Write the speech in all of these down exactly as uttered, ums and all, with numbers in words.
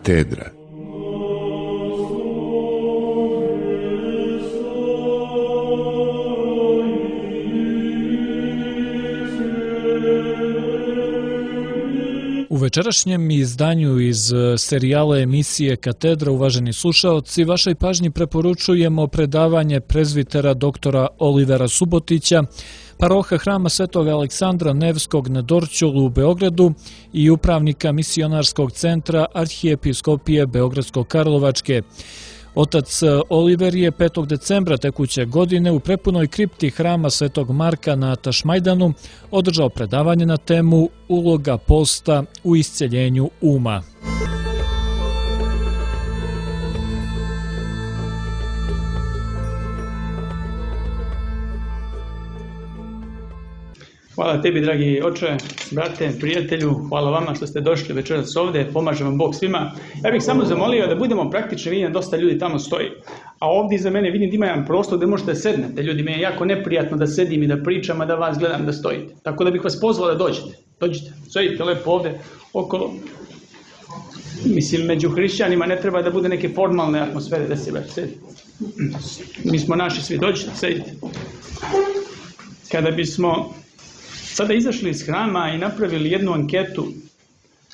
Katedra. U večerašnjem izdanju iz serijala emisije Katedra, uvaženi slušaoci, vašoj pažnji preporučujemo predavanje prezvitera doktora Olivera Subotića, paroha Hrama Svetog Aleksandra Nevskog na Dorćolu u Beogradu i upravnika misionarskog centra Arhijepiskopije Beogradsko-Karlovačke. Otac Oliver je petog decembra tekuće godine u prepunoj kripti Hrama Svetog Marka na Tašmajdanu održao predavanje na temu Uloga posta u isceljenju uma. Hvala tebi, dragi oče, brate, prijatelju, hvala vama što ste došli večeras ovde, pomaže vam Bog svima. Ja bih samo zamolio da budemo praktični, vidim dosta ljudi tamo stoji, a ovdje iza mene vidim da ima jedan prostor gdje možete sednete. Ljudi, mi je jako neprijatno da sedim i da pričam, a da vas gledam da stojite. Tako da bih vas pozvao da dođete, dođite, stojite lepo ovde okolo. Mislim, među hrišćanima ne treba da bude neke formalne atmosfere, da se baš sedi. Mi smo naši svi, dođite, sedite. Kada bismo sada izašli iz hrama i napravili jednu anketu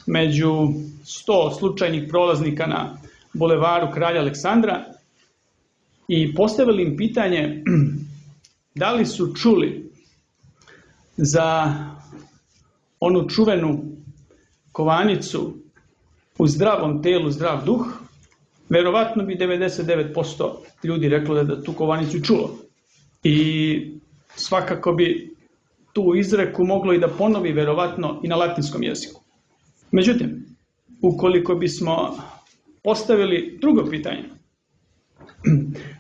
među sto slučajnih prolaznika na bulevaru Kralja Aleksandra i postavili im pitanje da li su čuli za onu čuvenu kovanicu u zdravom telu, zdrav duh, verovatno bi devedeset devet posto ljudi reklo da tu kovanicu čulo. I svakako bi tu izreku moglo i da ponovi verovatno i na latinskom jeziku. Međutim, ukoliko bismo postavili drugo pitanje,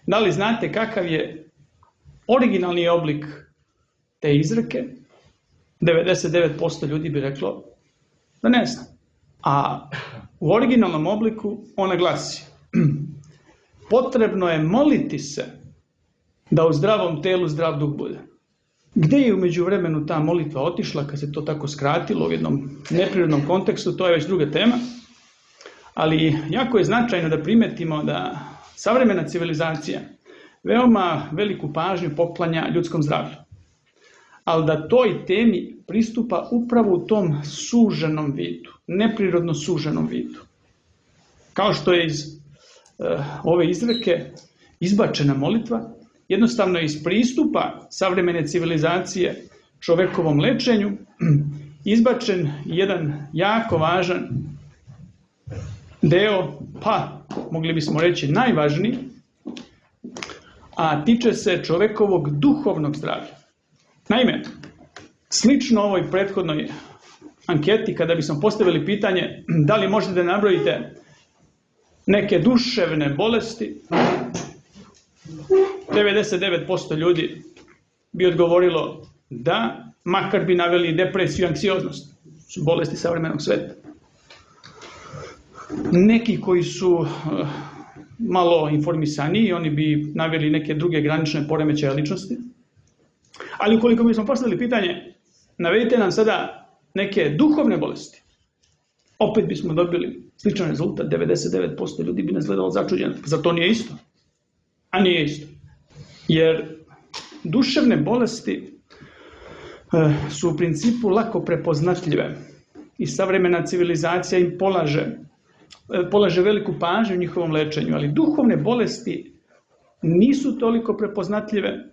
da li znate kakav je originalni oblik te izreke, devedeset devet posto ljudi bi reklo da ne zna. A u originalnom obliku ona glasi: potrebno je moliti se da u zdravom telu zdrav duh bude. Gde je u međuvremenu ta molitva otišla, kad se to tako skratilo u jednom neprirodnom kontekstu, to je već druga tema. Ali jako je značajno da primetimo da savremena civilizacija veoma veliku pažnju poklanja ljudskom zdravlju. Ali da toj temi pristupa upravo u tom suženom vidu, neprirodno suženom vidu. Kao što je iz uh, ove izreke izbačena molitva, jednostavno iz pristupa savremene civilizacije čovekovom lečenju izbačen jedan jako važan deo, pa mogli bismo reći najvažniji, a tiče se čovekovog duhovnog zdravlja. Naime, slično ovoj prethodnoj anketi, kada bismo postavili pitanje da li možete da nabrojite neke duševne bolesti, devedeset devet posto ljudi bi odgovorilo da, makar bi naveli depresiju i anksioznost, su bolesti savremenog sveta. Neki koji su malo informisaniji, oni bi naveli neke druge granične poremećaje ličnosti. Ali ukoliko bismo postavili pitanje, navedite nam sada neke duhovne bolesti, opet bismo dobili sličan rezultat, devedeset devet posto ljudi bi nas gledalo začuđeno. Zar to nije isto? A nije isto. Jer duševne bolesti su u principu lako prepoznatljive i savremena civilizacija im polaže, polaže veliku pažnju u njihovom lečenju, ali duhovne bolesti nisu toliko prepoznatljive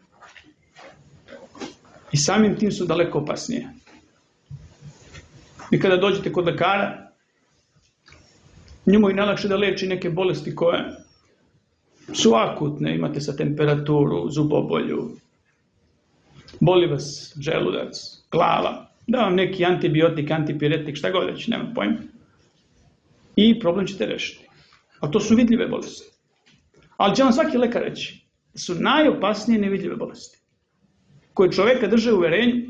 i samim tim su daleko opasnije. I kada dođete kod lekara, njemu je najlakše da leči neke bolesti koje su akutne, imate sa temperaturu, zubobolju, boli vas želudac, glava, da vam neki antibiotik, antipiretik, šta god već, nema pojma. I problem ćete rešiti. A to su vidljive bolesti. Ali će vam svaki lekar reći da su najopasnije nevidljive bolesti, koje čoveka drže u uverenju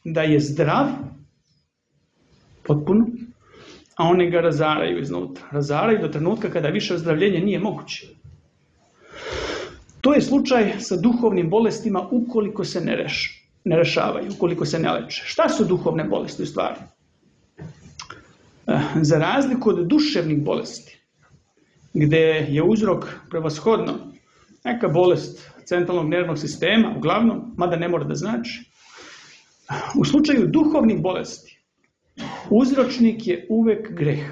da je zdrav potpuno, a one ga razaraju iznutra. Razaraju do trenutka kada više ozdravljenje nije moguće. To je slučaj sa duhovnim bolestima ukoliko se ne, reš, ne rešavaju, ukoliko se ne leče. Šta su duhovne bolesti u stvari? Za razliku od duševnih bolesti, gdje je uzrok prevashodno neka bolest centralnog nervnog sistema, uglavnom, mada ne mora da znači. U slučaju duhovnih bolesti, uzročnik je uvek greh.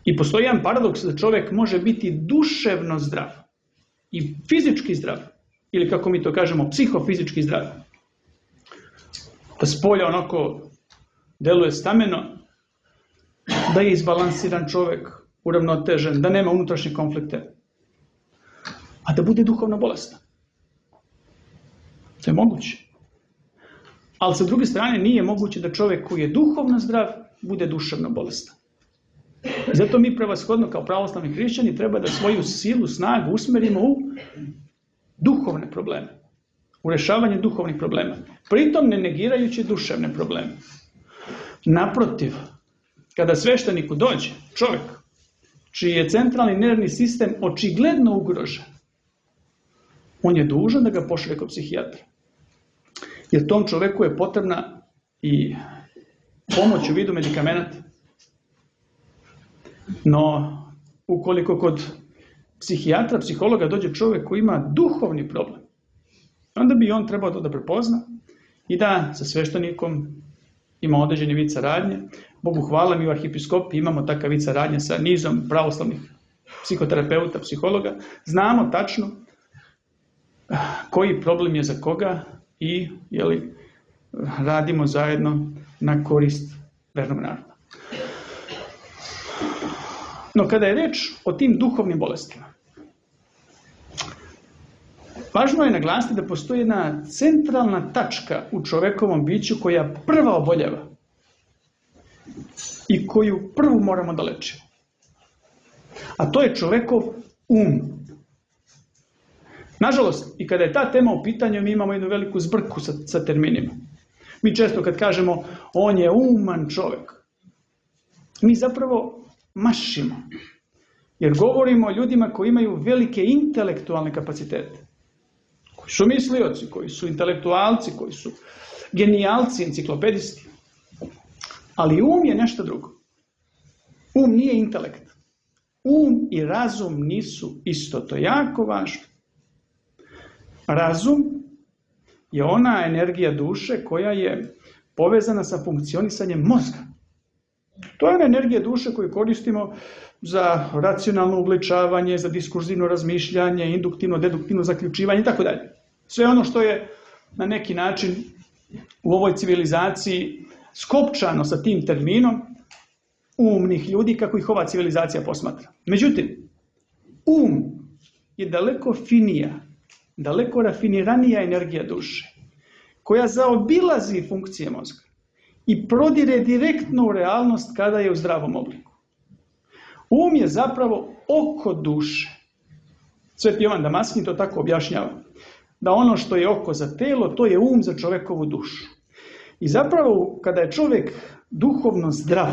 I postoji jedan paradoks da čovjek može biti duševno zdrav i fizički zdrav, ili kako mi to kažemo, psihofizički zdrav. Da spolja onako deluje stameno, da je izbalansiran čovjek, uravnotežen, da nema unutrašnje konflikte, a da bude duhovno bolestan. To je moguće. Ali sa druge strane nije moguće da čovjek koji je duhovno zdrav bude duševno bolestan. Zato mi prevashodno kao pravoslavni hrišćani treba da svoju silu, snagu usmerimo u duhovne probleme, u rešavanje duhovnih problema, pritom ne negirajući duševne probleme. Naprotiv, kada svešteniku dođe čovjek čiji je centralni nervni sistem očigledno ugrožen, on je dužan da ga pošalje kod psihijatra. Jer tom čovjeku je potrebna i pomoć u vidu medikamenata. No, ukoliko kod psihijatra, psihologa dođe čovjek koji ima duhovni problem, onda bi on trebao to da prepozna i da sa sveštenikom ima određeni vid saradnje. Bogu hvala, mi u arhipiskopiji imamo takav vid saradnje sa nizom pravoslavnih psihoterapeuta, psihologa. Znamo tačno koji problem je za koga i jeli, radimo zajedno na korist vernog naroda. No kada je reč o tim duhovnim bolestima, važno je naglasiti da postoji jedna centralna tačka u čovekovom biću koja prva oboljeva i koju prvu moramo da lečimo. A to je čovekov um. Nažalost, i kada je ta tema u pitanju, mi imamo jednu veliku zbrku sa, sa terminima. Mi često kad kažemo on je uman čovek, mi zapravo mašimo. Jer govorimo o ljudima koji imaju velike intelektualne kapacitete. Koji su mislioci, koji su intelektualci, koji su genijalci, enciklopedisti. Ali um je nešto drugo. Um nije intelekt. Um i razum nisu isto. To je jako važno. Razum je ona energija duše koja je povezana sa funkcionisanjem mozga. To je ona energija duše koju koristimo za racionalno uglečavanje, za diskurzivno razmišljanje, induktivno, deduktivno zaključivanje i tako dalje. Sve ono što je na neki način u ovoj civilizaciji skopčano sa tim terminom umnih ljudi kako ih ova civilizacija posmatra. Međutim, um je daleko finija, daleko rafiniranija energija duše, koja zaobilazi funkcije mozga i prodire direktno u realnost kada je u zdravom obliku. Um je zapravo oko duše. Sveti Jovan Damaskin to tako objašnjava, da ono što je oko za telo, to je um za čovekovu dušu. I zapravo, kada je čovjek duhovno zdrav,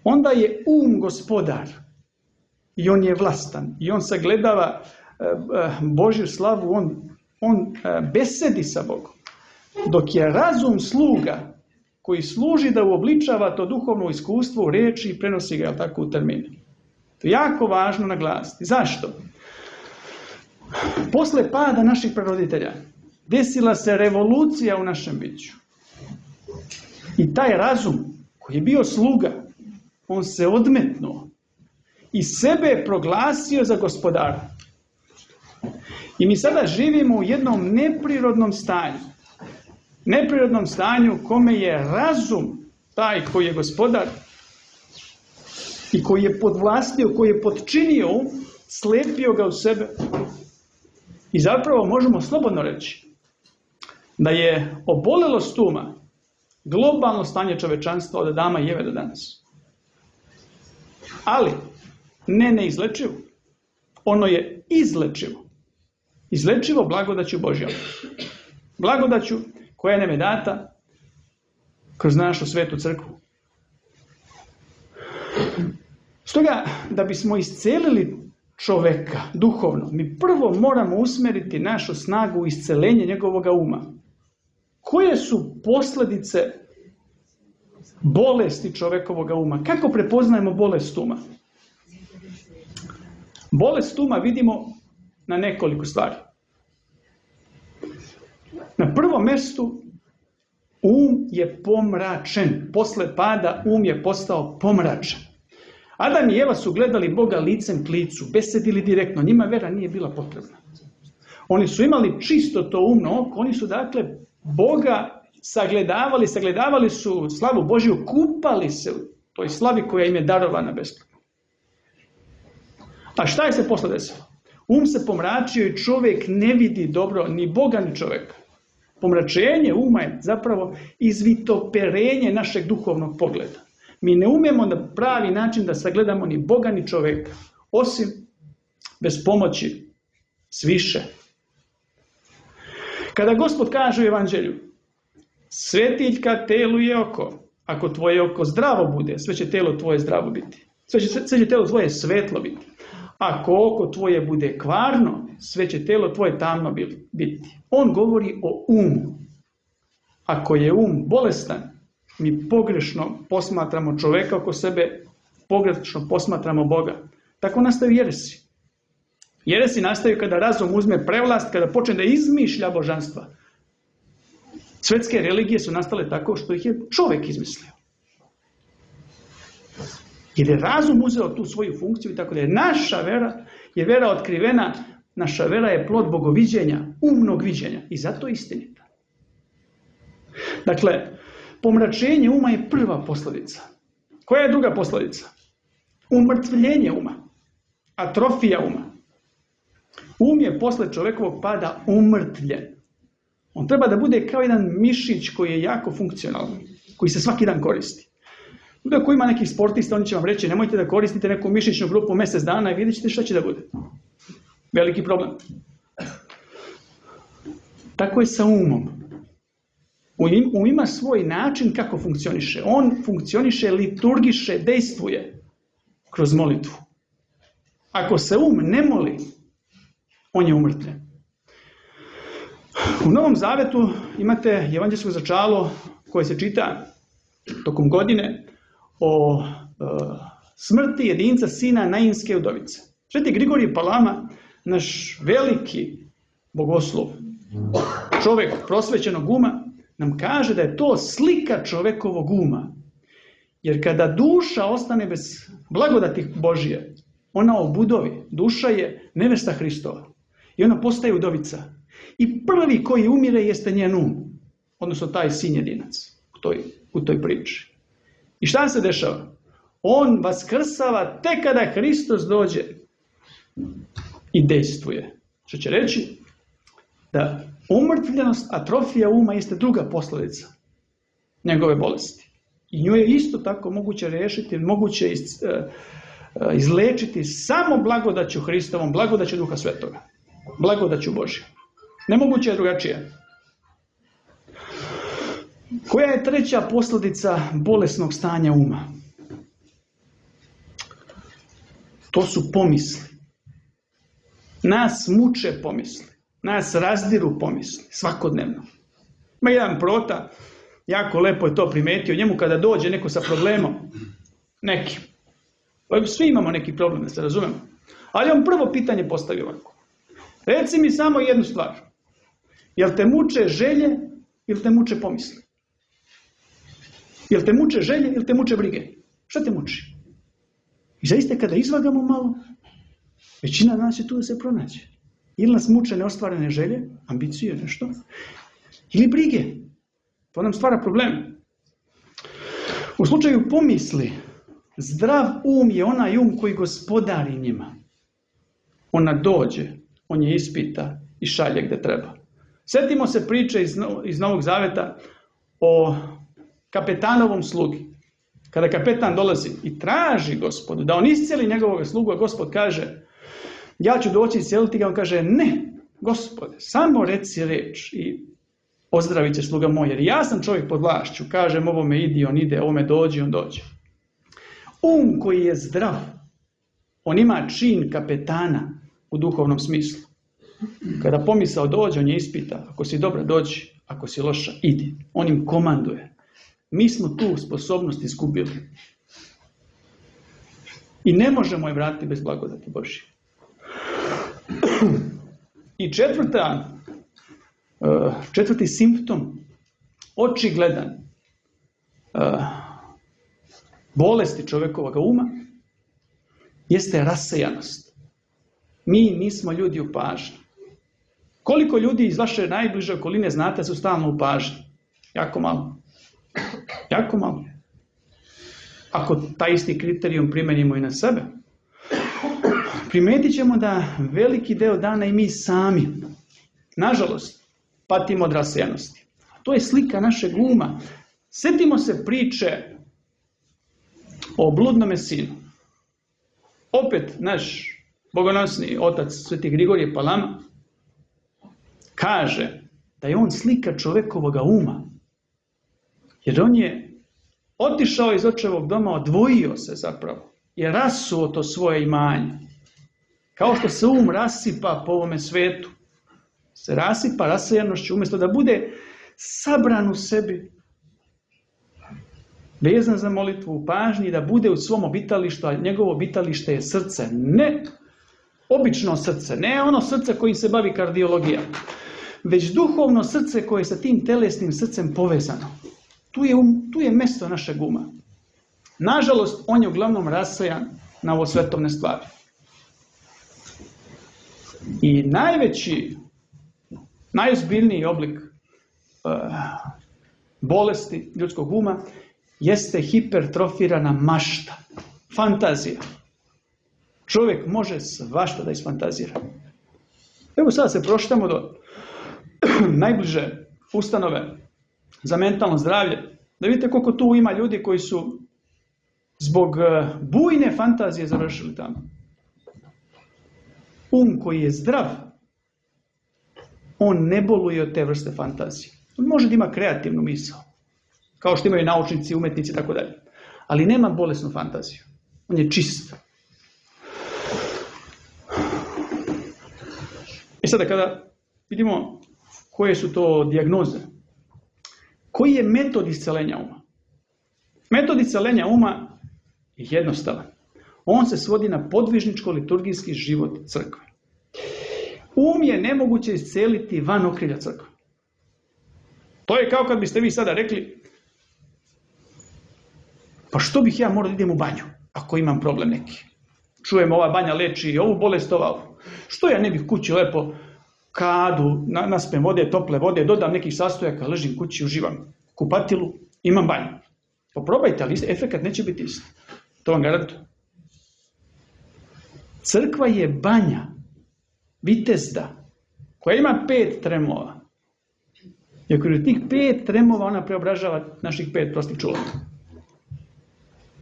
onda je um gospodar i on je vlastan i on sagledava Božju slavu, on, on besedi sa Bogom. Dok je razum sluga koji služi da uobličava to duhovno iskustvo u reči i prenosi ga tako u termine. To je jako važno naglasiti. Zašto? Posle pada naših praroditelja desila se revolucija u našem biću. I taj razum koji je bio sluga, on se odmetnuo i sebe je proglasio za gospodara. I mi sada živimo u jednom neprirodnom stanju. Neprirodnom stanju kome je razum taj koji je gospodar i koji je podvlastio, koji je podčinio, slepio ga u sebe. I zapravo možemo slobodno reći da je obolelost uma globalno stanje čovečanstva od Adama i Eve do danas. Ali ne neizlečivo. Ono je izlečivo. Izlečivo blagodaću Božjom. Blagodaću koja nam je data kroz našu svetu crkvu. Stoga, da bismo iscelili čoveka duhovno, mi prvo moramo usmeriti našu snagu u iscelenje njegovoga uma. Koje su posljedice bolesti čovekovoga uma? Kako prepoznajemo bolest uma? Bolest uma vidimo na nekoliko stvari. Na prvom mjestu um je pomračen. Posle pada um je postao pomračen. Adam i Eva su gledali Boga licem k licu, besedili direktno. Njima vera nije bila potrebna. Oni su imali čisto to umno oko. Oni su dakle Boga sagledavali, sagledavali su slavu Božju, kupali se u toj slavi koja im je darovana besplatno. A šta je se posle desilo? Um se pomračio i čovjek ne vidi dobro ni Boga ni čovjeka. Pomračenje uma je zapravo izvitoperenje našeg duhovnog pogleda. Mi ne umijemo na pravi način da sagledamo ni Boga ni čovjeka, osim bez pomoći sviše. Kada Gospod kaže u Evanđelju, svetiljka telu je oko, ako tvoje oko zdravo bude, sve će telo tvoje zdravo biti. Sve će, sve će telo tvoje svetlo biti. Ako oko tvoje bude kvarno, sve će telo tvoje tamno biti. On govori o umu. Ako je um bolestan, mi pogrešno posmatramo čovjeka oko sebe, pogrešno posmatramo Boga. Tako nastaju jeresi. Jeresi nastaju kada razum uzme prevlast, kada počne da izmišlja božanstva. Svetske religije su nastale tako što ih je čovjek izmislio. Jer je razum uzeo tu svoju funkciju i tako da je naša vera, je vera otkrivena, naša vera je plod bogoviđenja, umnog viđenja i zato je istinita. Dakle, pomračenje uma je prva posljedica. Koja je druga posljedica? Umrtvljenje uma, atrofija uma. Um je posle čovjekovog pada umrtvljen. On treba da bude kao jedan mišić koji je jako funkcionalan, koji se svaki dan koristi. Ako ima nekih sportista, oni će vam reći, nemojte da koristite neku mišićnu grupu mjesec dana i vidjet ćete šta će da bude. Veliki problem. Tako je sa umom. Um ima svoj način kako funkcioniše. On funkcioniše, liturgiše, dejstvuje kroz molitvu. Ako se um ne moli, on je umrtvljen. U Novom Zavetu imate evanđelsko začalo koje se čita tokom godine o e, smrti jedinca sina Nainske udovice. Sveti Grigorije Palama, naš veliki bogoslov, čovjek prosvećenog uma, nam kaže da je to slika čovjekovog uma. Jer kada duša ostane bez blagodati Božije, ona obudovi. Duša je nevesta Hristova. I ona postaje udovica. I prvi koji umire jeste njen um. Odnosno taj sin jedinac u toj, u toj priči. I šta se dešava? On vaskrsava tek kada Hristos dođe i dejstvuje. Što će reći da umrtvljenost, atrofija uma jeste druga posljedica njegove bolesti. I nju je isto tako moguće rešiti, moguće iz, uh, izlečiti samo blagodaću Hristovom, blagodaću Duha Svetoga, blagodaću Božje. Nemoguće je drugačije. Koja je treća posljedica bolesnog stanja uma? To su pomisli. Nas muče pomisli. Nas razdiru pomisli. Svakodnevno. Ima jedan prota, jako lepo je to primetio, njemu kada dođe neko sa problemom, neki. Svi imamo neki problem, da se razumemo. Ali on prvo pitanje postavi ovako. Reci mi samo jednu stvar. Jel te muče želje ili te muče pomisli? Jel te muče želje ili te muče brige? Šta te muči? I zaista kada izvagamo malo, većina nas je tu da se pronađe. Ili nas muče neostvarene želje, ambicije, nešto, ili brige. To nam stvara problem. U slučaju pomisli, zdrav um je onaj um koji gospodari njima. Ona dođe, on je ispita i šalje gde treba. Sjetimo se priče iz, iz Novog Zaveta o kapetanovom slugi. Kada kapetan dolazi i traži Gospodu da on iscijeli njegovog slugu, a Gospod kaže, ja ću doći iscijeliti ga, on kaže, ne, Gospode, samo reci reč i ozdravit će sluga moj, jer ja sam čovjek pod vlašću, kažem ovome idi, on ide, ovome dođi, on dođe. Um koji je zdrav, on ima čin kapetana u duhovnom smislu. Kada pomisao dođe, on je ispita, ako si dobra, dođi, ako si loša, idi. On im komanduje. Mi smo tu sposobnost izgubili. I ne možemo je vratiti bez blagodati Božje. I četvrta, četvrti simptom, očigledan, bolesti čovjekovog uma, jeste rasejanost. Mi nismo ljudi u pažnji. Koliko ljudi iz vaše najbliže okoline znate su stalno u pažnji? Jako malo. Jako malo. Ako taj isti kriterijum primenimo i na sebe, primetit ćemo da veliki deo dana i mi sami, nažalost, patimo od rasejanosti. To je slika našeg uma. Sjetimo se priče o bludnome sinu. Opet naš bogonosni otac Sveti Grigorije Palama kaže da je on slika čovjekovog uma. Jer on je otišao iz očevog doma, odvojio se zapravo. Je rasuo to svoje imanje. Kao što se um rasipa po ovome svetu. Se rasipa rasejanošću umjesto da bude sabran u sebi, vezan za molitvu u pažnji, da bude u svom obitalištu, a njegovo obitalište je srce. Ne obično srce, ne ono srce kojim se bavi kardiologija, već duhovno srce koje je sa tim telesnim srcem povezano. Tu je, um, tu je mjesto našeg uma. Nažalost, on je uglavnom rasejan na ovo svetovne stvari. I najveći, najozbiljniji oblik uh, bolesti ljudskog uma jeste hipertrofirana mašta, fantazija. Čovjek može svašta da isfantazira. Evo sada se proštamo do najbliže ustanove za mentalno zdravlje, da vidite koliko tu ima ljudi koji su zbog bujne fantazije završili tamo. Um koji je zdrav, on ne boluje od te vrste fantazije. On može da ima kreativnu misao, kao što imaju naučnici, umetnici i tako dalje. Ali nema bolesnu fantaziju. On je čist. I sada kada vidimo koje su to dijagnoze, koji je metod iscelenja uma? Metod iscelenja uma je jednostavan. On se svodi na podvižničko-liturgijski život crkve. Um je nemoguće isceliti van okrilja crkve. To je kao kad biste vi sada rekli, pa što bih ja morao da idem u banju, ako imam problem neki? Čujem, ova banja leči i ovu bolest, ova ovu. Što ja ne bih kući lepo kadu, naspem vode, tople vode, dodam nekih sastojaka, ležim kući, uživam kupatilu, imam banju. Poprobajte, ali efekat neće biti isti. To vam garantujem. Crkva je banja, vitezda, koja ima pet tremova. I okolo tih pet tremova ona preobražava naših pet prostih čulova.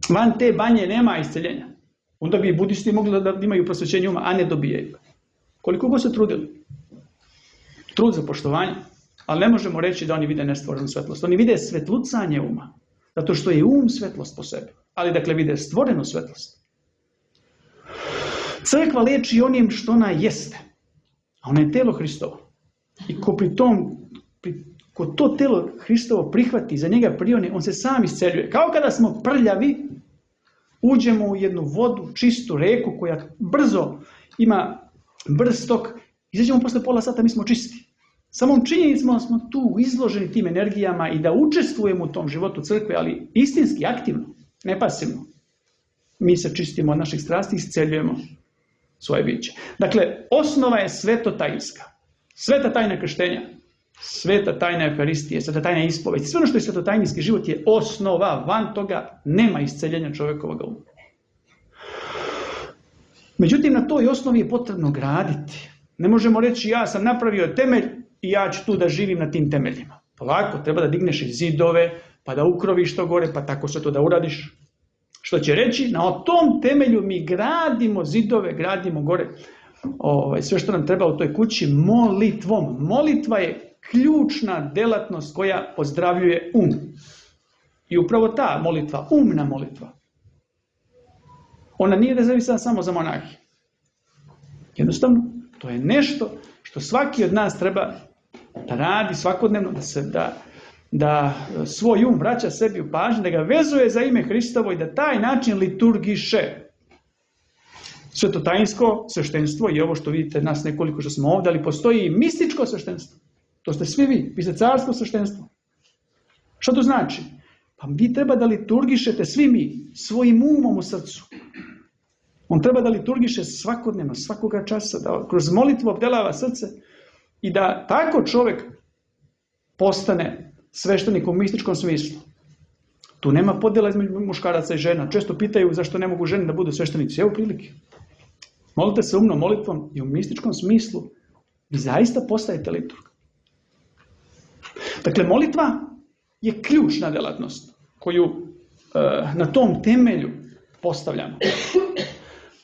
Van te banje nema isceljenja. Onda bi i budisti mogli da imaju prosvećenje uma, a ne dobijaju. Koliko god se trudili. Trud za poštovanje, ali ne možemo reći da oni vide nestvorenu svetlost. Oni vide svetlucanje uma, zato što je um svetlost po sebi. Ali dakle vide stvorenu svetlost. Crkva leči onim što ona jeste, a ona je telo Hristovo. I ko pri tom, pri, ko to telo Hristovo prihvati, za njega prione, on se sam isceljuje. Kao kada smo prljavi, uđemo u jednu vodu, čistu reku koja brzo ima brz tok, izađemo posle pola sata, mi smo čisti. Samom činjenicom smo tu izloženi tim energijama i da učestvujemo u tom životu crkve, ali istinski, aktivno, ne pasivno. Mi se čistimo od naših strasti i isceljujemo svoje biće. Dakle, osnova je svetotajinska. Sveta tajna krštenja, sveta tajna Euharistije, sveta tajna ispovesti. Sve ono što je svetotajinski život je osnova. Van toga nema isceljenja čovjekovog uma. Međutim, na toj osnovi je potrebno graditi. Ne možemo reći ja sam napravio temelj i ja ću tu da živim na tim temeljima. Polako, treba da digneš i zidove, pa da ukroviš to gore, pa tako sve to da uradiš. Što će reći, na tom temelju mi gradimo zidove, gradimo gore. Ovaj, sve što nam treba u toj kući molitvom. Molitva je ključna delatnost koja ozdravljuje um. I upravo ta molitva, umna molitva, ona nije rezervisana samo za monahi. Jednostavno, to je nešto što svaki od nas treba da radi svakodnevno, da se da, da svoj um vraća sebi u pažnju, da ga vezuje za ime Hristovo i da taj način liturgiše. svetotajinsko sveštenstvo i ovo što vidite nas nekoliko što smo ovdje, ali postoji i mističko sveštenstvo. To ste svi vi, vi ste carsko sveštenstvo. Što to znači? Pa vi treba da liturgišete svi mi svojim umom u srcu. On treba da liturgiše svakodnevno, svakoga časa, da kroz molitvu obdelava srce i da tako čovjek postane sveštenik u mističkom smislu. Tu nema podjela između muškaraca i žena. Često pitaju zašto ne mogu žene da budu sveštenici. Evo prilike. Molite se umnom molitvom i u mističkom smislu vi zaista postajete liturg. Dakle, molitva je ključna delatnost koju e, na tom temelju postavljamo.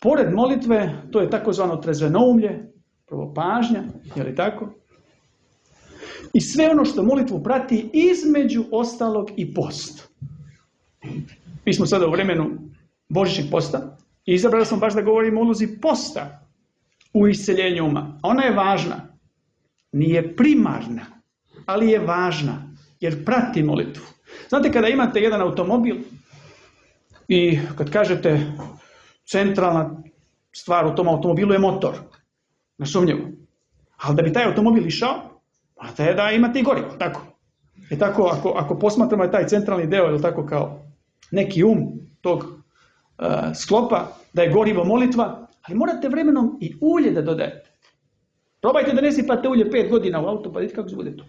Pored molitve, to je takozvano trezvenoumlje, prvo pažnja, je li tako? I sve ono što molitvu prati između ostalog i post. Mi smo sada u vremenu božićnog posta i izabrali smo baš da govorimo o ulozi posta u isceljenju uma. Ona je važna, nije primarna, ali je važna jer prati molitvu. Znate, kada imate jedan automobil i kad kažete centralna stvar u tom automobilu je motor, nesumnjivo. Ali da bi taj automobil išao, morate je da imate i gorivo, tako? E tako, ako, ako posmatramo taj centralni deo, je tako kao neki um tog uh, sklopa, da je gorivo molitva, ali morate vremenom i ulje da dodajete. Probajte da ne sipate ulje pet godina u auto, pa vidite kako se bude to.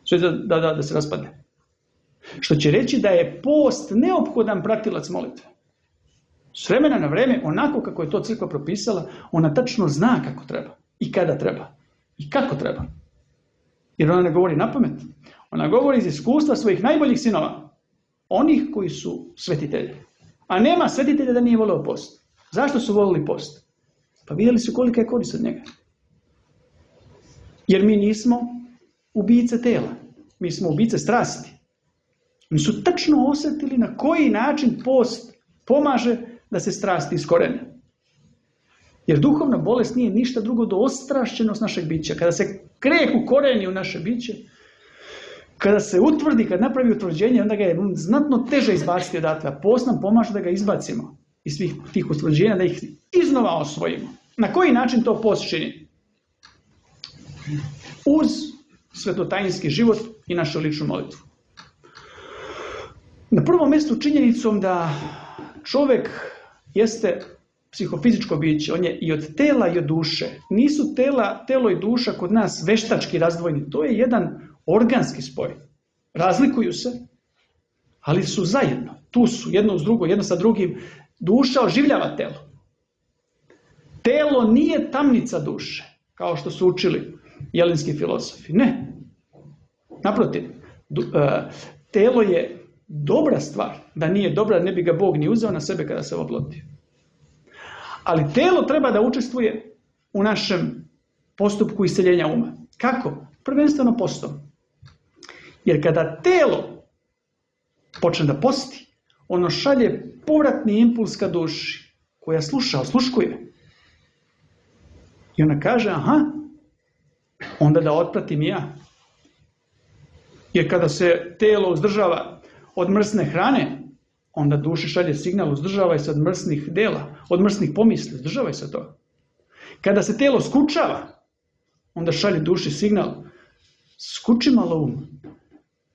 Sve da, da, da, da se raspadne. Što će reći da je post neophodan pratilac molitve. S vremena na vreme, onako kako je to crkva propisala, ona tačno zna kako treba i kada treba i kako treba. Jer ona ne govori na pamet. Ona govori iz iskustva svojih najboljih sinova. Onih koji su svetitelji. A nema svetitelja da nije voleo post. Zašto su volili post? Pa vidjeli su kolika je korist od njega. Jer mi nismo ubice tela. Mi smo ubice strasti. Mi su tačno osjetili na koji način post pomaže da se strasti iskorene. Jer duhovna bolest nije ništa drugo do ostrašćenost našeg bića. Kada se greh ukoreni u naše biće, kada se utvrdi, kad napravi utvrđenje, onda ga je znatno teže izbaciti odatle. A post nam pomaže da ga izbacimo iz svih tih utvrđenja, da ih iznova osvojimo. Na koji način to post čini? Uz svetotajinski život i našu ličnu molitvu. Na prvom mjestu činjenicom da čovjek jeste psihofizičko biće, on je i od tela i od duše. Nisu tela, telo i duša kod nas veštački razdvojeni, to je jedan organski spoj. Razlikuju se, ali su zajedno. Tu su jedno uz drugo, jedno sa drugim. Duša oživljava telo. Telo nije tamnica duše, kao što su učili jelinski filozofi. Ne. Naprotiv, telo je dobra stvar. Da nije dobra, ne bi ga Bog ni uzeo na sebe kada se oploti. Ali telo treba da učestvuje u našem postupku isceljenja uma. Kako? Prvenstveno postom. Jer kada telo počne da posti, ono šalje povratni impuls ka duši, koja sluša, osluškuje. I ona kaže, aha, onda da otpratim ja. Jer kada se telo uzdržava od mrsne hrane, onda duši šalje signal, uzdržavaj se od mrsnih dela, od mrsnih pomisli, uzdržavaj se to. Kada se telo skučava, onda šalje duši signal, skuči malo um.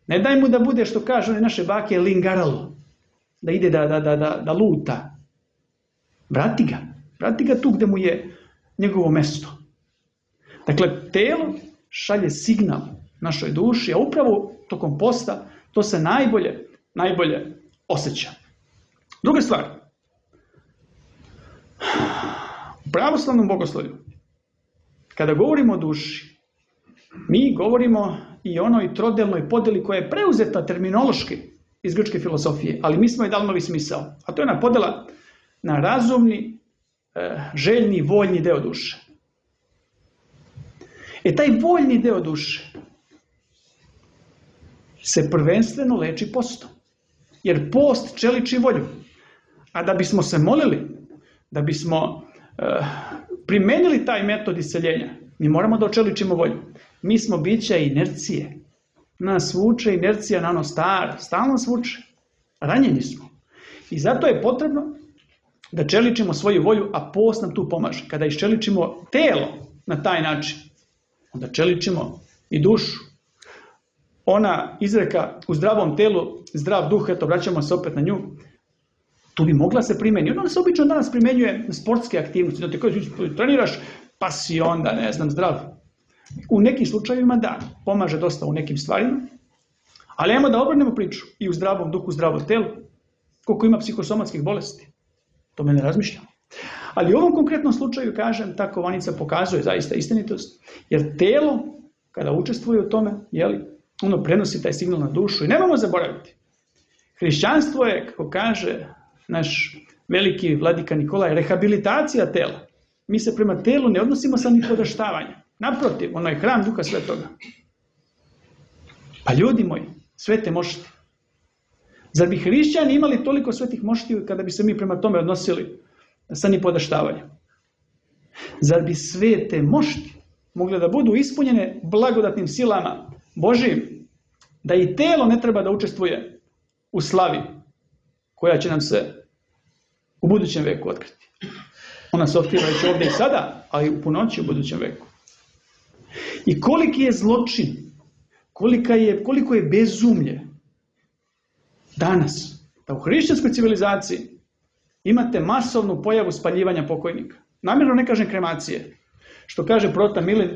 Ne daj mu da bude, što kažu naše bake, lingaralo, da ide da, da, da, da, da luta. Vrati ga, vrati ga tu gde mu je njegovo mesto. Dakle, telo šalje signal našoj duši, a upravo tokom posta to se najbolje, najbolje osjeća. Druga stvar. U pravoslavnom bogoslovlju, kada govorimo o duši, mi govorimo i o onoj trodelnoj podeli koja je preuzeta terminološki iz grčke filozofije, ali mi smo je dali novi smisao. A to je ona podela na razumni, željni, voljni deo duše. E taj voljni deo duše se prvenstveno leči postom. Jer post čeliči volju. A da bismo se molili, da bismo uh, primenili taj metod isceljenja, mi moramo da očeličimo volju. Mi smo bića inercije. Nas vuče inercija na ono staro. Stalno nas vuče. Ranjeni smo. I zato je potrebno da čeličimo svoju volju, a post nam tu pomaže. Kada iščeličimo telo na taj način, onda čeličimo i dušu. Ona izreka u zdravom telu, zdrav duh, eto vraćamo se opet na nju, tu bi mogla se primjeniti. Ona se obično danas primjenjuje na sportske aktivnosti. Znači, kada treniraš, pa si onda, ne znam, zdrav. U nekim slučajevima da, pomaže dosta u nekim stvarima, ali ajmo da obrnemo priču i u zdravom duhu, zdravom telu, koliko ima psihosomatskih bolesti. To me ne razmišljamo. Ali u ovom konkretnom slučaju, kažem, ta kovanica pokazuje zaista istinitost, jer telo, kada učestvuje u tome, jeli, ono prenosi taj signal na dušu i nemojmo zaboraviti. Hrišćanstvo je, kako kaže naš veliki vladika Nikolaj, rehabilitacija tela. Mi se prema telu ne odnosimo sa nipodaštavanjem. Naprotiv, ono je hram Duha Svetoga. Pa ljudi moji, svete mošti. Zar bi hrišćani imali toliko svetih moštiju kada bi se mi prema tome odnosili sa nipodaštavanjem? Zar bi svete mošti mogle da budu ispunjene blagodatnim silama Božijim, da i telo ne treba da učestvuje u slavi koja će nam se u budućem veku otkriti? Ona se otkriva već ovdje i sada, ali u punoći u budućem veku. I koliki je zločin, kolika je, koliko je bezumlje danas, da u hrišćanskoj civilizaciji imate masovnu pojavu spaljivanja pokojnika. Namjerno ne kažem kremacije. Što kaže prota Milin,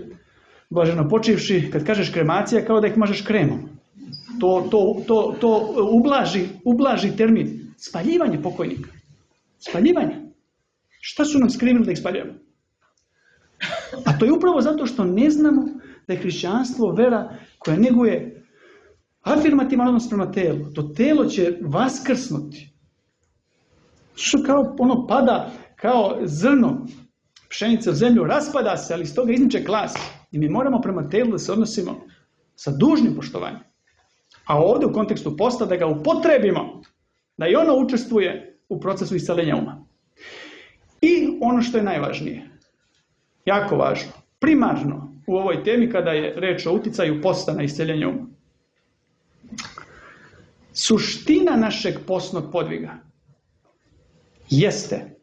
blaženo počivši, kad kažeš kremacija, kao da ih mažeš kremom. To, to, to, to ublaži, ublaži termin. Spaljivanje pokojnika. Spaljivanje. Šta su nam skrivili da ih spaljujemo? A to je upravo zato što ne znamo da je hrišćanstvo vera koja neguje afirmativan odnos prema telu. To telo će vaskrsnuti. Što kao ono pada, kao zrno pšenice u zemlju, raspada se, ali iz toga izniče klas. I mi moramo prema telu da se odnosimo sa dužnim poštovanjem. A ovdje u kontekstu posta da ga upotrebimo, da i ono učestvuje u procesu isceljenja uma. I ono što je najvažnije, jako važno, primarno u ovoj temi kada je reč o uticaju posta na isceljenje uma. Suština našeg postnog podviga jeste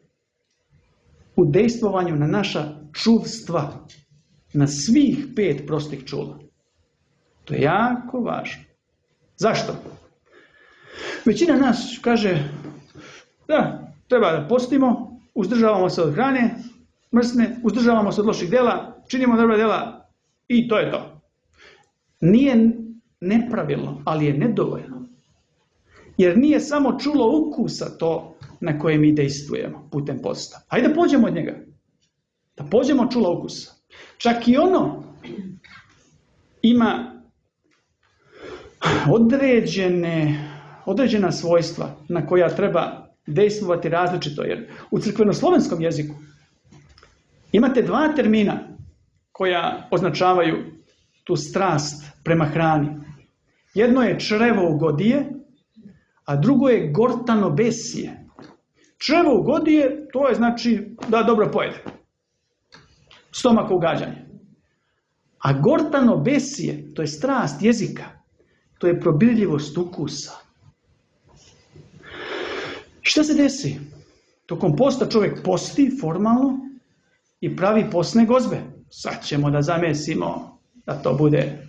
u dejstvovanju na naša čuvstva, na svih pet prostih čula. To je jako važno. Zašto? Većina nas kaže da treba da postimo, uzdržavamo se od hrane mrsne, uzdržavamo se od loših dela, činimo dobra dela i to je to. Nije nepravilno, ali je nedovoljno. Jer nije samo čulo ukusa to na koje mi dejstvujemo putem posta. Hajde da pođemo od njega. Da pođemo od čula ukusa. Čak i ono ima određene, određena svojstva na koja treba dejstvovati različito. Jer u crkvenoslovenskom jeziku imate dva termina koja označavaju tu strast prema hrani. Jedno je črevougodije, a drugo je gortanobesije. Črevougodije, to je znači da dobro pojede. Stomako ugađanje. A gortanobesije, to je strast jezika. To je probirljivost ukusa. Šta se desi? Tokom posta čovjek posti formalno i pravi postne gozbe. Sad ćemo da zamesimo da to bude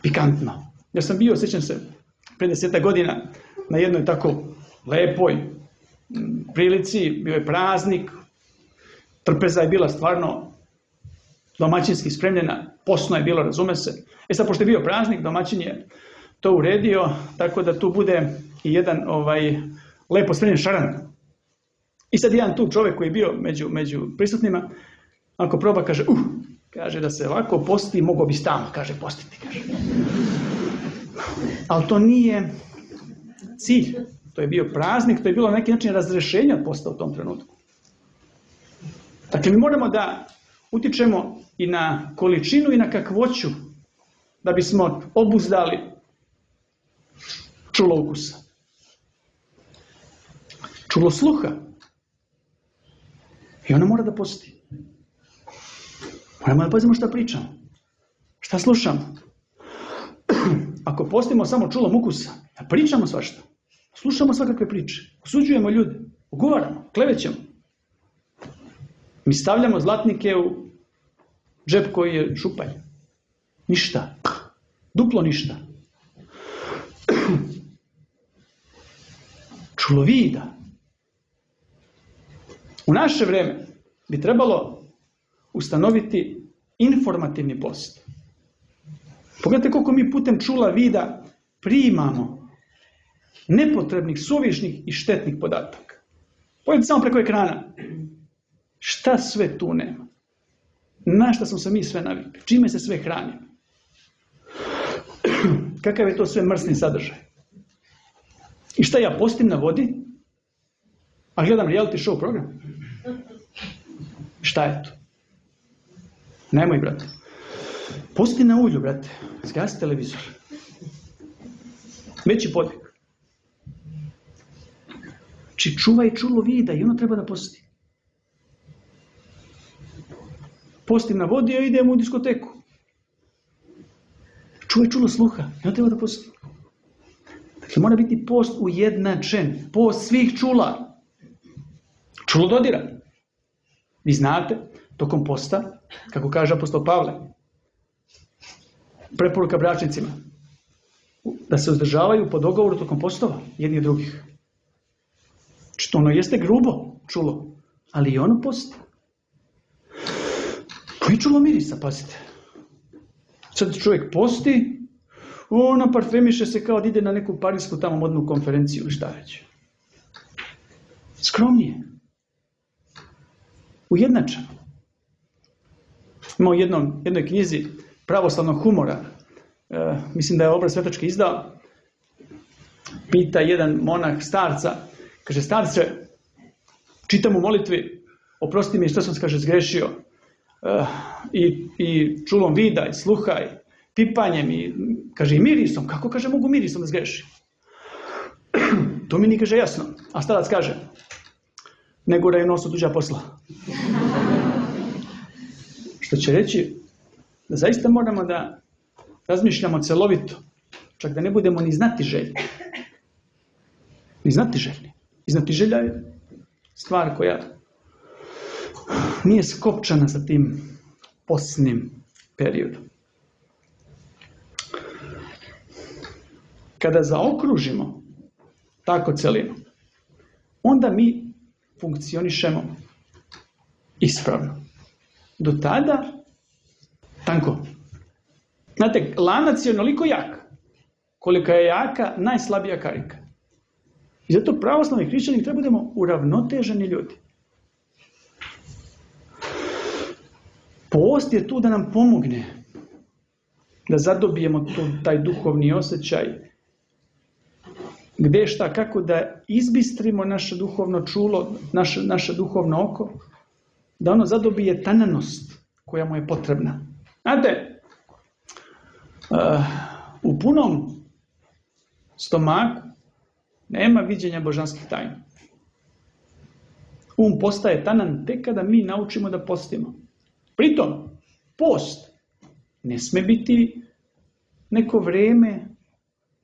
pikantno. Ja sam bio, sjećam se, pre deseta godina na jednoj tako lepoj prilici, bio je praznik, trpeza je bila stvarno domaćinski spremljena, postno je bilo, razume se. E sad, pošto je bio praznik, domaćin je to uredio, tako da tu bude i jedan ovaj, lepo spremljen šaran. I sad jedan tu čovjek koji je bio među, među prisutnima, ako proba, kaže, uh, kaže da se ovako posti, mogo bi stalno, kaže, postiti, kaže. Ali to nije cilj. To je bio praznik, to je bilo na neki način razrešenje od posta u tom trenutku. Dakle, mi moramo da utičemo i na količinu i na kakvoću da bismo obuzdali čulo ukusa. Čulo sluha. I ona mora da posti. Moramo da pazimo šta pričamo. Šta slušamo. Ako postimo samo čulom ukusa, da pričamo svašta. Slušamo svakakve priče. Osuđujemo ljude. Ugovaramo, klevećemo. Mi stavljamo zlatnike u džep koji je šupalj. Ništa. Duplo ništa. Čulovida. U naše vreme bi trebalo ustanoviti informativni post. Pogledajte koliko mi putem čula vida primamo nepotrebnih, suvišnih i štetnih podataka. Pogledajte samo preko ekrana. Šta sve tu nema? Na šta smo se mi sve navikli? Čime se sve hranimo? Kakav je to sve mrsni sadržaj? I šta ja postim na vodi, a gledam reality show program? Šta je to? Nemoj, brate. Posti na ulju, brate. Zgasi televizor. Veći podvig. Či čuvaj čulo vida i ono treba da posti. Postim na vodi, a idem u diskoteku. Čuvaj čulo sluha i ono treba da posti. Dakle, mora biti post ujednačen. Post svih čula. Čulo dodira. Vi znate, tokom posta, kako kaže apostol Pavle, preporuka bračnicima, da se uzdržavaju po dogovoru tokom postova jedni od drugih. Što ono jeste grubo čulo, ali i ono posti. Koji čulo mirisa, pazite. Sad čovjek posti, ona parfemiše se kao da ide na neku parijsku tamo modnu konferenciju ili šta već. Skromnije. Ujednačeno. Ima u jednom, jednoj knjizi pravoslavnog humora, e, mislim da je Obraz Svetački izdao, pita jedan monah starca, kaže, starce, čitam u molitvi, oprosti mi što sam, kaže, zgrešio, e, i, i čulom vida, i sluha, i pipanjem, i, kaže, i mirisom. Kako, kaže, mogu mirisom da zgrešim? To mi nije, kaže, jasno. A starac kaže, ne guraj nos u tuđa posla. Što će reći da zaista moramo da razmišljamo celovito, čak da ne budemo ni znati željni. Ni znati željni. I znati želja je stvar koja nije skopčana sa tim posnim periodom. Kada zaokružimo tako celinu, onda mi funkcionišemo ispravno. Do tada, tanko. Znate, lanac je onoliko jak, kolika je jaka najslabija karika. I zato pravoslavni hrišćani treba budemo uravnoteženi ljudi. Post je tu da nam pomogne da zadobijemo tu, taj duhovni osjećaj, gde šta, kako da izbistrimo naše duhovno čulo, naše, naše duhovno oko, da ono zadobije tananost koja mu je potrebna. Znate, uh, u punom stomaku nema viđenja božanskih tajna. Um postaje tanan tek kada mi naučimo da postimo. Pritom, post ne sme biti neko vreme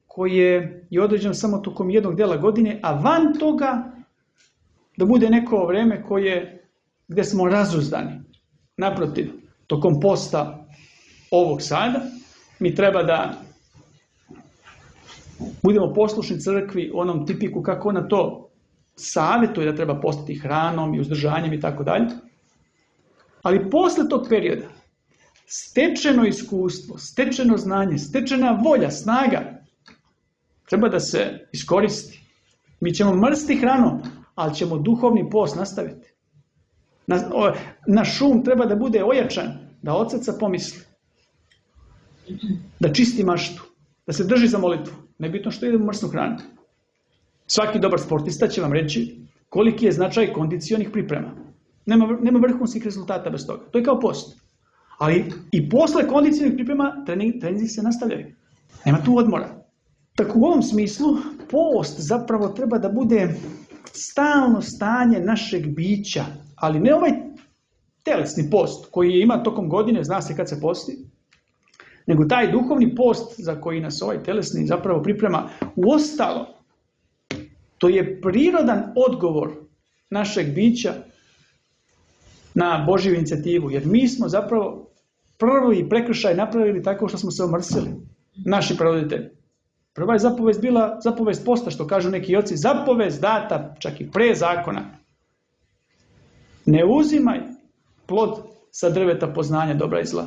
koje je određeno samo tokom jednog dela godine, a van toga da bude neko vreme koje gde smo razuzdani. Naprotiv, tokom posta ovog sada, mi treba da budemo poslušni crkvi u onom tipiku kako ona to savjetuje da treba postati hranom i uzdržanjem i tako dalje. Ali posle tog perioda, stečeno iskustvo, stečeno znanje, stečena volja, snaga, treba da se iskoristi. Mi ćemo mrsti hranom, ali ćemo duhovni post nastaviti. Naš um treba da bude ojačan, da od srca pomisli, da čisti maštu, da se drži za molitvu. Nebitno što idemo mrsnu hranu. Svaki dobar sportista će vam reći koliki je značaj kondicionih priprema. Nema, nema vrhunskih rezultata bez toga. To je kao post. Ali i posle kondicionih priprema trening, treninzi se nastavljaju. Nema tu odmora. Tako u ovom smislu post zapravo treba da bude stalno stanje našeg bića, ali ne ovaj telesni post koji ima tokom godine, zna se kad se posti, nego taj duhovni post za koji nas ovaj telesni zapravo priprema. Uostalo, to je prirodan odgovor našeg bića na Božju inicijativu. Jer mi smo zapravo prvi prekršaj napravili tako što smo se omrsili. Naši pravoditelji. Prva je zapovest bila zapovest posta, što kažu neki oci. Zapovest data čak i pre zakona. Ne uzimaj plod sa drveta poznanja dobra i zla.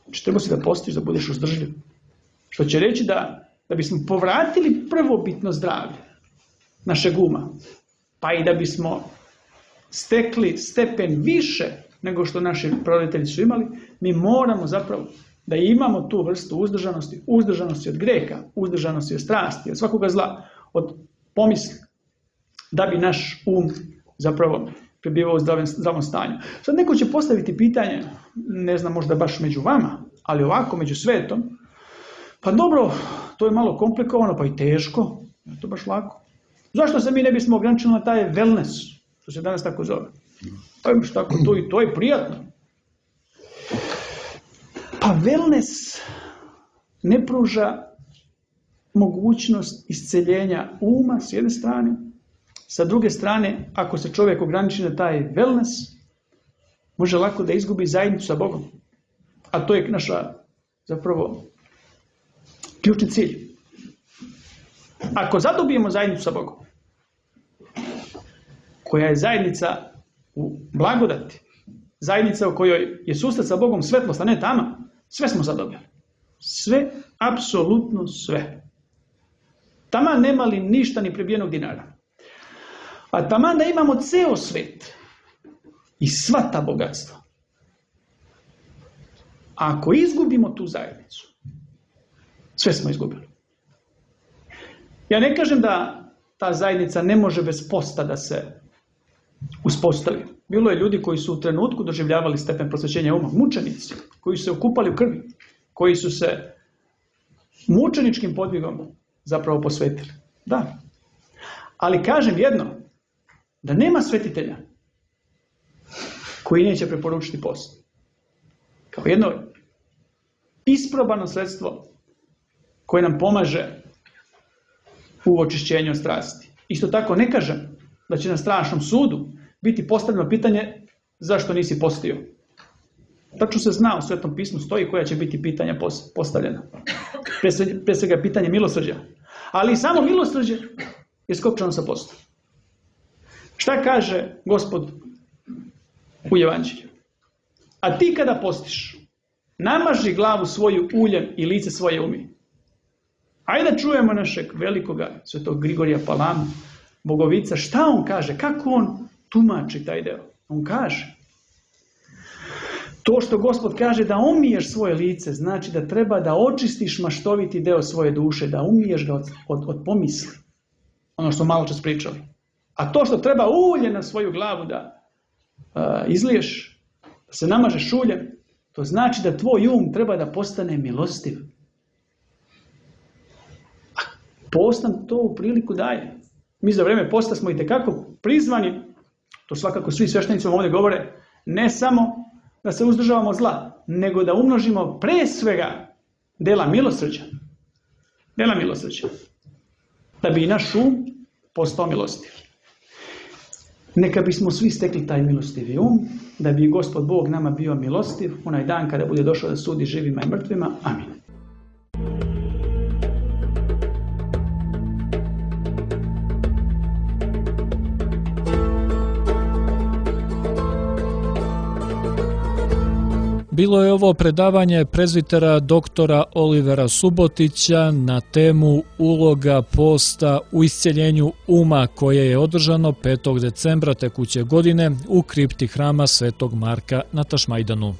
Znači, treba si da postiš, da budeš uzdržljiv. Što će reći da, da bismo povratili prvobitno zdravlje našeg uma, pa i da bismo stekli stepen više nego što naši roditelji su imali, mi moramo zapravo da imamo tu vrstu uzdržanosti, uzdržanosti od greha, uzdržanosti od strasti, od svakoga zla, od pomisli, da bi naš um zapravo prebivao u zdravom, zdravom stanju. Sad neko će postaviti pitanje, ne znam, možda baš među vama, ali ovako među svetom, pa dobro, to je malo komplikovano, pa i teško, je to baš lako. Zašto se mi ne bismo ograničili na taj wellness, što se danas tako zove? Pa imaš tako to i to je prijatno. Pa wellness ne pruža mogućnost isceljenja uma s jedne strane, sa druge strane, ako se čovjek ograniči na taj wellness, može lako da izgubi zajednicu sa Bogom. A to je naša, zapravo, ključni cilj. Ako zadobijemo zajednicu sa Bogom, koja je zajednica u blagodati, zajednica u kojoj je susret sa Bogom svetlost, a ne tama, sve smo zadobili. Sve, apsolutno sve. Taman nema li ništa ni prebijenog dinara. A taman da imamo ceo svet i sva ta bogatstva. A ako izgubimo tu zajednicu, sve smo izgubili. Ja ne kažem da ta zajednica ne može bez posta da se uspostavi. Bilo je ljudi koji su u trenutku doživljavali stepen prosvećenja uma, mučenici, koji su se okupali u krvi, koji su se mučeničkim podvigom zapravo posvetili. Da. Ali kažem jedno, da nema svetitelja koji neće preporučiti post. Kao jedno isprobano sredstvo koje nam pomaže u očišćenju strasti. Isto tako ne kažem da će na strašnom sudu biti postavljeno pitanje zašto nisi postio. Tačno se zna, u Svetom pismu stoji koja će biti pitanja postavljena. Pre svega pitanje milosrđa. Ali i samo milosrđe je skopčano sa postom. Šta kaže Gospod u Evanđelju? A ti kada postiš, namaži glavu svoju uljem i lice svoje umi. Ajde da čujemo našeg velikoga svetog Grigorija Palamu, Bogovica, šta on kaže, kako on tumači taj deo. On kaže, to što Gospod kaže da umiješ svoje lice, znači da treba da očistiš maštoviti deo svoje duše, da umiješ ga od, od, od pomisli. Ono što malo čas pričali. A to što treba ulje na svoju glavu da uh, izliješ, da se namažeš uljem, to znači da tvoj um treba da postane milostiv. A post nam to u priliku daje. Mi za vreme posta smo itekako prizvani, to svakako svi sveštenici ovdje govore, ne samo da se uzdržavamo zla, nego da umnožimo pre svega dela milosrđa. Dela milosrđa. Da bi i naš um postao milostiv. Neka bismo svi stekli taj milostivi um, da bi Gospod Bog nama bio milostiv onaj dan kada bude došao da sudi živima i mrtvima. Amin. Bilo je ovo predavanje prezvitera doktora Olivera Subotića na temu uloga posta u isceljenju uma koje je održano petog decembra tekuće godine u kripti hrama Svetog Marka na Tašmajdanu.